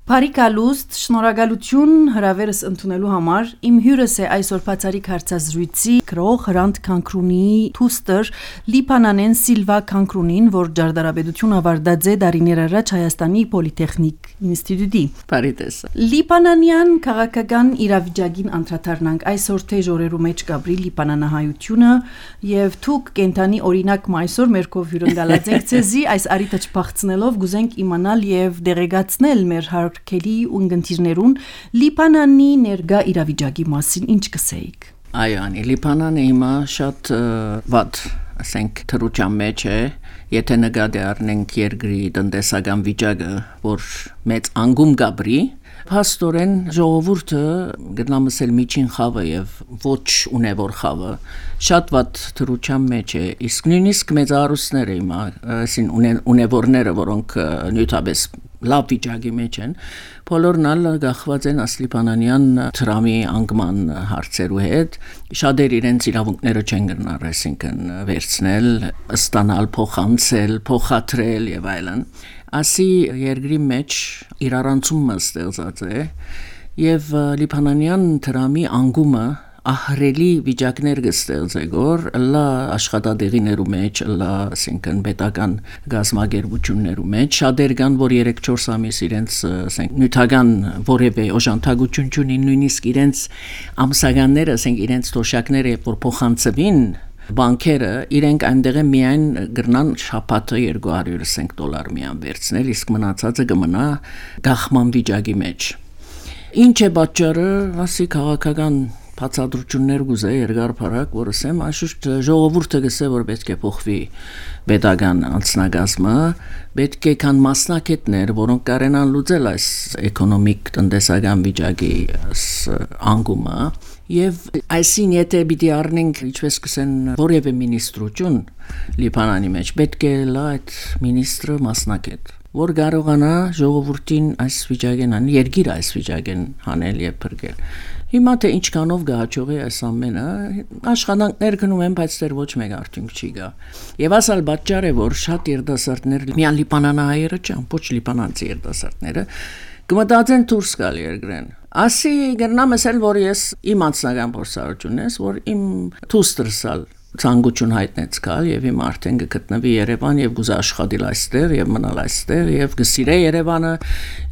Բարիկալուստ, շնորհակալություն հրավերս ընդունելու համար։ Իմ հյուրս է այսօր բացառիկ հարցազրույցի գրող Հրանտ Քանքրունիի թուստր Լիբանանեն Սիլվա Քանքրունին, որ ջարդարաբեդություն ավարտած է դարիներ առաջ Հայաստանի Պոլիտեխնիկ ինստիտուտի։ Բարիտես։ Լիբանանյան քաղաքական իրավիճակին անդրադառնանք այսօր թե ժորերու մեջ գաբրի լիբանանահայությունը եւ թուք կենտանի օրինակ այսօր մերկով հյուրընկալած ենք ցեզի այս արիտը չփախցնելով գուզենք իմանալ եւ դեղեկացնել մեր Քելի ու ընկերներուն Լիբանանի ներկա իրավիճակի մասին ինչ կսեիք։ Այո, անի Լիբանանը հիմա շատ վատ, ասենք թրուչան մեջ է, եթե նկատի առնենք երկրի տնտեսական վիճակը, որ մեծ անգում գաբրի, փաստորեն ժողովուրդը գտնամսել միջին խավը եւ ոչ ունևոր խավը շատ վատ թրուչան մեջ է, իսկ նույնիսկ մեծարուսները հիմա, այսին ունևորները, որոնք նյութաբես լավ վիճակի մեջ են, բոլորն ալ գախված են ասլիբանանյան թրամի անգման հարցերու հետ, շատեր իրենց իրավունքները չեն գնար, այսինքն վերցնել, ստանալ, փոխանցել, փոխադրել եւ այլն։ Ասի երկրի մեջ իրարանցումը ստեղծած է եւ լիբանանյան թրամի անգումը ահրելի վիճակներ կստեղծե գոր լա աշխատադեղիներու մեջ լա ասենքն պետական գազམ་ագերբություններու մեջ շատեր կան որ 3-4 ամիս իրենց ասենք նյութական որևէ օժանդակություն չունին նույնիսկ իրենց ամսականները ասենք իրենց թոշակները որ փոխանցվին բանկերը իրենք այնտեղ միայն գրնան շաբաթը $200 միան վերցնել իսկ մնացածը կմնա գախման վիճակի մեջ ինչ է պատճառը ասի քաղաքական բացատրություններ գուզե երկար փառակ որ ասեմ աշուշտ ժողովուրդը գսե որ պետք է փոխվի պետական անձնագազմը պետք է կան մասնակիցներ որոնք կարենան լուծել այս էկոնոմիկ տնտեսական վիճակի անգումը եւ այսին եթե պիտի առնենք ինչպես կսեն որևէ մինիստրություն Լիբանանի մեջ պետք է լա այդ մինիստրը մասնակից որ կարողանա ժողովրդին այս վիճակեն ան երկիր այս վիճակեն հանել եւ փրկել Հիմա թե ինչքանով գահաճողի այս ամենը աշխատանքներ գնում են, բայց դեռ ոչ մեկ արդյունք չի գա։ Եվ ասալ պատճառ է, որ շատ երիտասարդներ միան լիբանանահայերը չեն, ոչ լիբանանցի երիտասարդները կմտածեն դուրս գալ երկրեն։ Ասի գտնամ ասել, որ ես իմ անձնական փորձառությունն ես, որ իմ թուստրսալ ցանկություն հայտնեց գալ եւ իմ արդեն գտնվի Երևան եւ գուզա աշխատել այստեղ եւ մնալ այստեղ եւ գսիրե Երևանը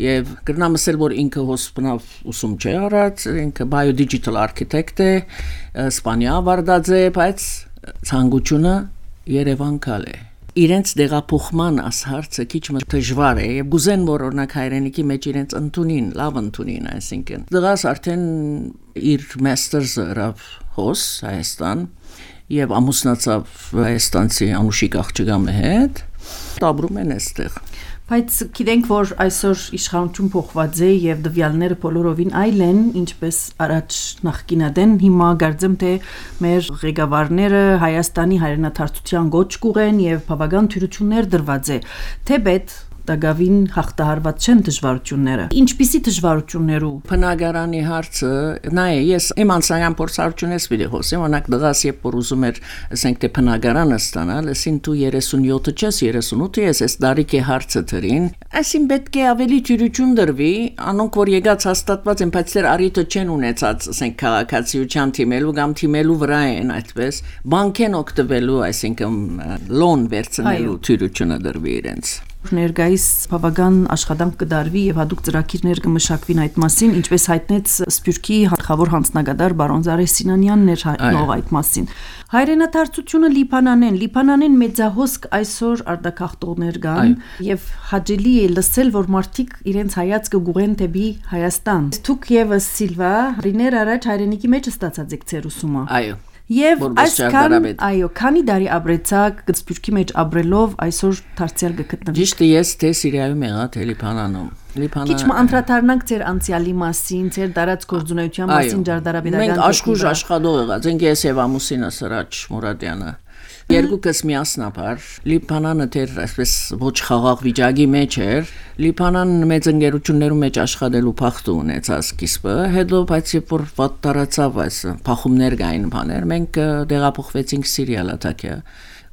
եւ կրնամ ասել որ ինքը հոսպնավ ուսում չէ արած ինքը biodigital architect է Իսպանիա վարդած է բայց ցանկությունը Երևան գալ է իրենց դեղափոխման ասարցը քիչ մը դժվար է եւ գուզեն որ օրինակ հայրենիքի մեջ իրենց ընդունին լավ ընդունին այսինքն դրաս արդեն իր մաստերսը ռավ հոս Հայաստան եւ ամուսնացավ Հայաստանցի Անուշիկ աղջկամի հետ ապրում են այստեղ Բայց գիտենք որ այսօր իշխանություն փոխված է եւ դվյալները բոլորովին այլ են ինչպես առաջ նախկինադեն հիմա գարձեմ թե մեր ղեկավարները Հայաստանի հայրենադարձության գոչ կուղեն եւ բավական թյուրություններ դրված է թեպետ Տագավին հաղթահարված չեն դժվարությունները։ Ինչպիսի դժվարություններու։ Բնակարանի հարցը, նայ ես իմ անձնական փորձառությունից պիտի խոսեմ, օրինակ դղաս երբ որ ուզում էր, ասենք թե բնակարանը ստանալ, ասին դու 37 չես, 38 ես, այս դարիքի հարցը դրին, այսին պետք է ավելի թյուրություն դրվի, անոնք որ եկած հաստատված են, բայց դեռ առիթը չեն ունեցած, ասենք քաղաքացիության թիմելու կամ թիմելու վրա են այդպես, բանկեն օգտվելու, այսինքն լոն վերցնելու թյուրությունը դրվի իրենց։ Ներկայիս բավական աշխատանք կդարվի եւ հadoop ծրագիրներ կմշակվին այդ մասին, ինչպես հայտնեց Սփյուռքի հաղթավոր հանձնագետար բարոն Զարե Սինանյանն էր հայտնող այդ մասին։ Հայրենադարձությունը Լիբանանեն մեծահոսք այսօր արտակախտողներ կան եւ հաջելի է լսել, որ մարդիկ իրենց հայացքը գուղեն դեպի Հայաստան։ Դուք եւս Սիլվա ռիներ առաջ հայրենիքի մեջ ստացած եք ձեր ուսումը։ Այո։ Եվ այսքան այո, քանի դարի ապրեցակ Սփյուռքի մեջ ապրելով այսօր դարձյալ գտնվի։ Ճիշտ է, ես թե Սիրիայում եղա, թե Լիբանանում։ Քիչ անդրադառնանք ձեր անցյալի մասին, ձեր դարած գործունեության մասին ջարդարաբեդական։ Մենք աշխուժ աշխատող եղած ենք ես եւ ամուսինս Սրաչ Մուրադյանը։ Երկուքս միասնաբար Լիբանանը դեռ այսպես ոչ խաղաղ վիճակի մեջ էր Լիբանան մեծ ընկերություններում մեջ աշխատելու փախտ ունեցած սկիզբը հետո բայց երբ որ վատ տարածավ այս փախումներ կային բաներ մենք դեղափոխվեցինք Սիրիա Լատակիա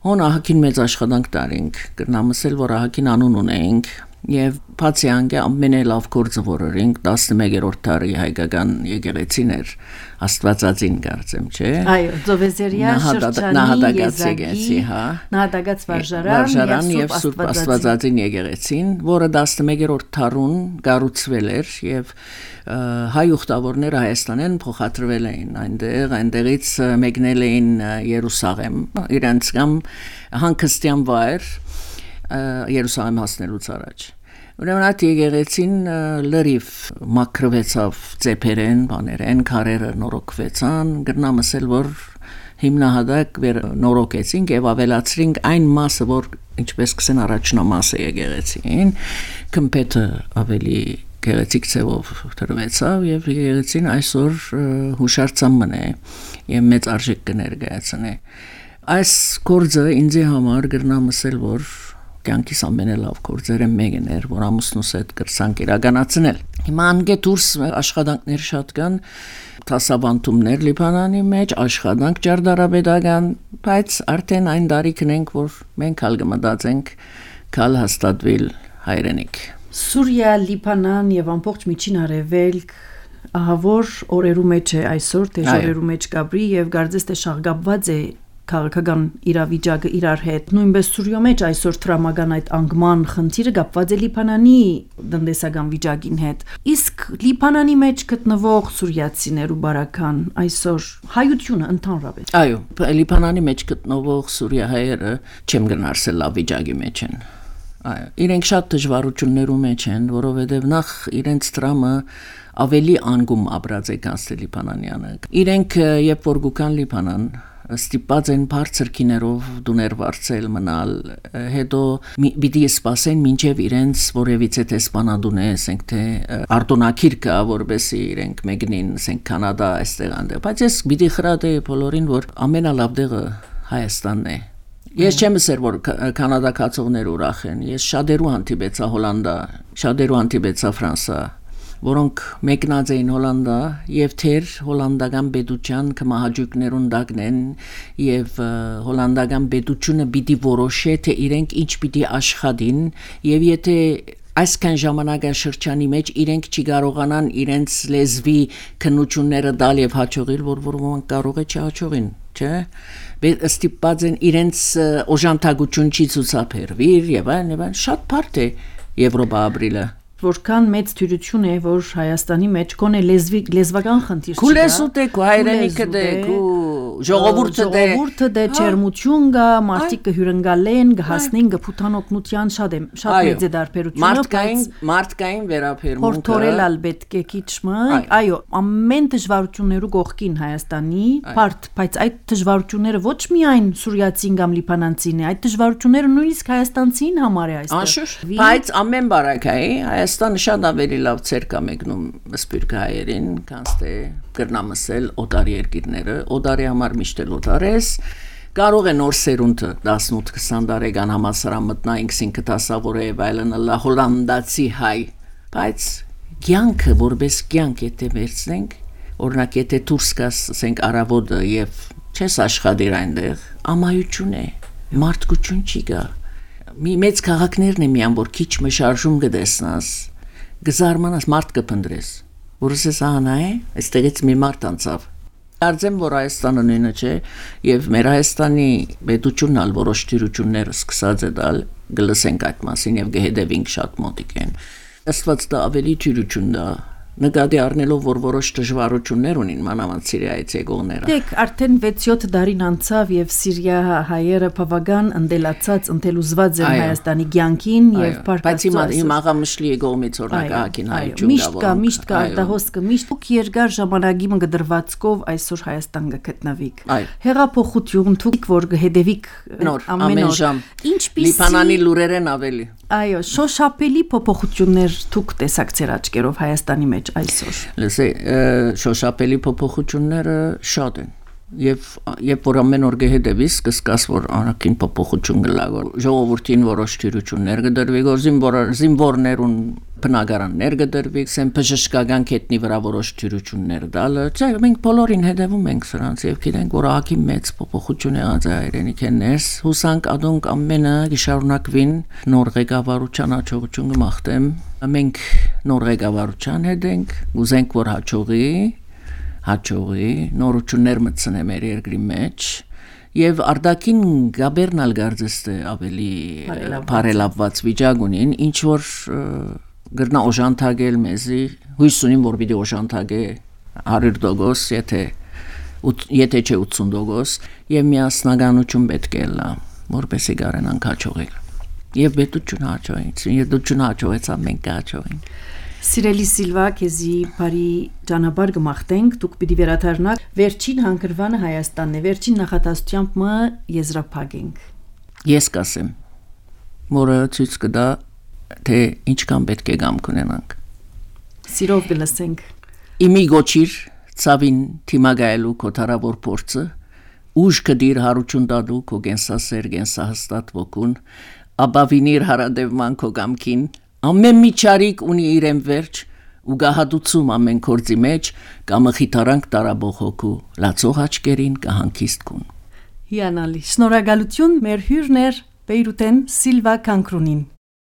Հոն ահագին մեծ աշխատանք տարինք կրնամսել որ ահագին անուն ունենք Եվ բացի անգե ամենալավ գործը որորինք 11-րդ դարի հայկական եկեղեցին էր Աստվածածին կարծեմ, չէ։ Այո, Ծովեզերյա շրջանի եզակի նահատակած վարժարան եւ Սուրբ Աստվածածին եկեղեցին, որը 11-րդ դարուն կառուցվել էր եւ հայ ուխտավորները Հայաստանեն փոխադրվել էին այնտեղից մեկնել էին Երուսաղեմ, իրենց կամ հանգստյան վայր Երուսաղեմ հասնելուց առաջ։ Ուրեմն այդ եկեղեցին լրիվ մաքրվեցավ ծեփերեն, բաներեն, քարերը նորոգվեցան, գրնամսել որ հիմնահատակ նորոգեցինք եւ ավելացրինք այն մասը, որ ինչպես կսեն առաջնամասը եկեղեցին, կմպետը ավելի գեղեցիկ ցեվով դրվեցավ եւ եկեղեցին այսօր հուշարձան մնե եւ մեծ արժեք կներկայացնե։ Այս գործը ինձ համար գրնամսել որ կյանքիս ամենալավ գործերը մեկն էր, որ ամուսնուս հետ կրսանք իրականացնել։ Հիմա անգե դուրս աշխատանքներ շատ կան, դասավանդումներ Լիբանանի մեջ, աշխատանք ճարտարապետական, բայց արդեն այն դարիքն ենք, որ մենք հալ կմտածենք կալ հաստատվել հայրենիք։ Սուրիա, Լիբանան եւ ամբողջ Միջին Արևելք ահավոր օրերու մեջ է այսօր, թե օրերու մեջ կապրի եւ գարձես թե շաղգապված է քաղաքական իրավիճակը իրար հետ նույնպես Սուրիո մեջ այսօր տրամական այդ անկման խնդիրը կապված է Լիբանանի տնտեսական վիճակին հետ իսկ Լիբանանի մեջ գտնվող սուրիացիներու բարական այսօր հայությունը ընդհանրապես այո Լիբանանի մեջ գտնվող սուրիահայերը չեմ գնարսել լավ վիճակի մեջ են այո իրենք շատ դժվարություններու մեջ են որովհետև նախ իրենց տրամը ավելի անգում ապրած է կանցել Լիբանանյանը իրենք երբ որ գուկան Լիբանան ստիպած են բարձր քիներով դուներ վարձել մնալ հետո պիտի սպասեն մինչև իրենց որևիցե տեսփանադունե ասենք թե արտոնակիր կա որբեսի իրենք մեկնին ասենք կանադա այստեղ անդե բայց ես պիտի խրատեի բոլորին որ ամենալավ դեղը Հայաստանն է ես չեմ ասեր որ կանադա կացողներ ուրախ են ես շատերու հանդիպեցա Հոլանդա շատերու հանդիպեցա Ֆրանսա որոնք մեկնած էին Հոլանդա եւ թեր հոլանդական պետության կմահաճույքներուն դակնեն եւ հոլանդական պետությունը պիտի որոշե թե իրենք ինչ պիտի աշխատին եւ եթե այսքան ժամանակաշրջանի մեջ իրենք չի կարողանան իրենց լեզվի քննությունները դալ եւ հաջողել որ ոմանք կարող է չհաջողին չէ ստիպած են իրենց օժանդակություն չի ցուցաբերվիր եւ այլն շատ բարդ է Եվրոպա ապրիլը որքան մեծ թյուրություն է որ Հայաստանի մեջ կոնե լեզվական խնդիր չկա քուլեսուտ է քո հայրենիքը դե քո ժողովուրդը դե չերմություն կա մարդիկ կհյուրընկալեն կհասնեն կփութանօգնության շատ մեծ է դարբերությունը մարդկային վերաբերմունքը հորթորելալ պետք է քիչմը այո ամեն դժվարություններու կողքին Հայաստանի բարդ բայց այդ դժվարությունները ոչ միայն սուրիացին կամ լիբանանցին է այդ դժվարությունները նույնիսկ հայաստանցին համար է այստեղ բայց ամեն բարակայի Հայաստանը շատ ավելի լավ ցեր կա մեկնում սպիրկը հայերին, քան թե կրնամսել օտար երկիրները, օտարի համար միշտ էլ օտար ես, կարող է նոր սերունդը 18-20 տարեկան համասարան մտնա ինքսին կտասավորե վայլն լա հոլանդացի հայ, բայց կյանքը որպես կյանք եթե վերցնենք, օրինակ եթե դուրս գաս, ասենք արավոտը եւ չես աշխատիր այնտեղ, ամայություն է, մարդկություն չի գա մի մեծ քաղաքներն է միան որ քիչ մշարժում կդեսնաս գզարմանաս մարդ կփնդրես որս է սահանա է այստեղից մի մարդ անցավ կարծեմ որ Հայաստանը նույնը չէ եւ մեր Հայաստանի պետությունն ալ որոշ թյուրություններ սկսած է դալ գլսենք այդ մասին եւ գհետևինք շատ մոտիկ են Աստված դա ավելի թյուրություն դա նկատի առնելով որ որոշ դժվարություններ ունին մանավանդ Սիրիայից եկողները դեք արդեն 6-7 դարին անցավ եւ Սիրիա հայերը բավական ընդելացած ընդելուզված են Հայաստանի ցանկին եւ բայց հիմա աղամշլի եկողմից օրնակահակին հայություն միշտ կա արտահոսքը միշտ դուք երկար ժամանակի մգդրվածքով այսօր Հայաստան գտնվիք հեղափոխություն դուք որ հետևիք ամեն ժամ Լիբանանի լուրերեն ավելի այո շոշափելի փոփոխություններ դուք տեսակ ծեր աչքերով Հայաստանի մեջ այսօր լսե շոշափելի փոփոխությունները շատ են Եվ որ ամեն օր գեհդեվիս կսկաս որ անաքին փոփոխություն գլա որ ժողովրդին որոշ թյուրություններ կդրվի որ զինվորներուն բնակարաններ կդրվի սեն բժշկական կետնի վրա որոշ թյուրություններ դալը չէ մենք բոլորին հետևում ենք սրանց եւ գիտենք որ ահագի մեծ փոփոխություն եղած է հայրենիքներս հուսանք ադոնք ամենը գշարունակվին նոր ղեկավարության հաջողություն կմաղթեմ մենք նոր ղեկավարության հետ ենք ուզենք որ հաջողի նորություններ մտցնե մեր երկրի մեջ եւ արդակին գաբերնալ գարձեստը ավելի բարելավված վիճակ ունին ինչ որ գրնա օժանդակել մեզի հույս ունիմ որ պիտի օժանդակե 100% եթե չէ 80% եւ միասնականություն պետք է լա որպեսի կարենանք հաջողել եւ պետություն հաջողեցա մենք հաջողենք Սիրելի Սիլվա, քեզի բարի ճանապարհ կմաղթենք, դուք պիտի վերադառնաք վերջին հանգրվանը Հայաստանն է, վերջին նախատեսությամբ մը եզրափակենք։ Ես կասեմ, որը ցույց կտա, թե ինչքան պետք է գամք ունենանք։ Սիրով կլսենք։ Իմի գոչիր ցավին թիմագայելու կոթարավոր փորձը, ուժ կդիր հարություն տալու քո գենսասեր գենսահստատ ոգուն, ապավինիր հարադևման քո գամքին Ամեն մի ճարիք ունի իրեն վերջ ու գահադուցում ամեն կորձի մեջ կամը խիթարանք տարաբող հոգու լացող աչկերին կհանքիստ կուն։ Հիանալի, շնորհակալություն մեր հյուրն էր Բեյրութեն Սիլվա Կանկրունին։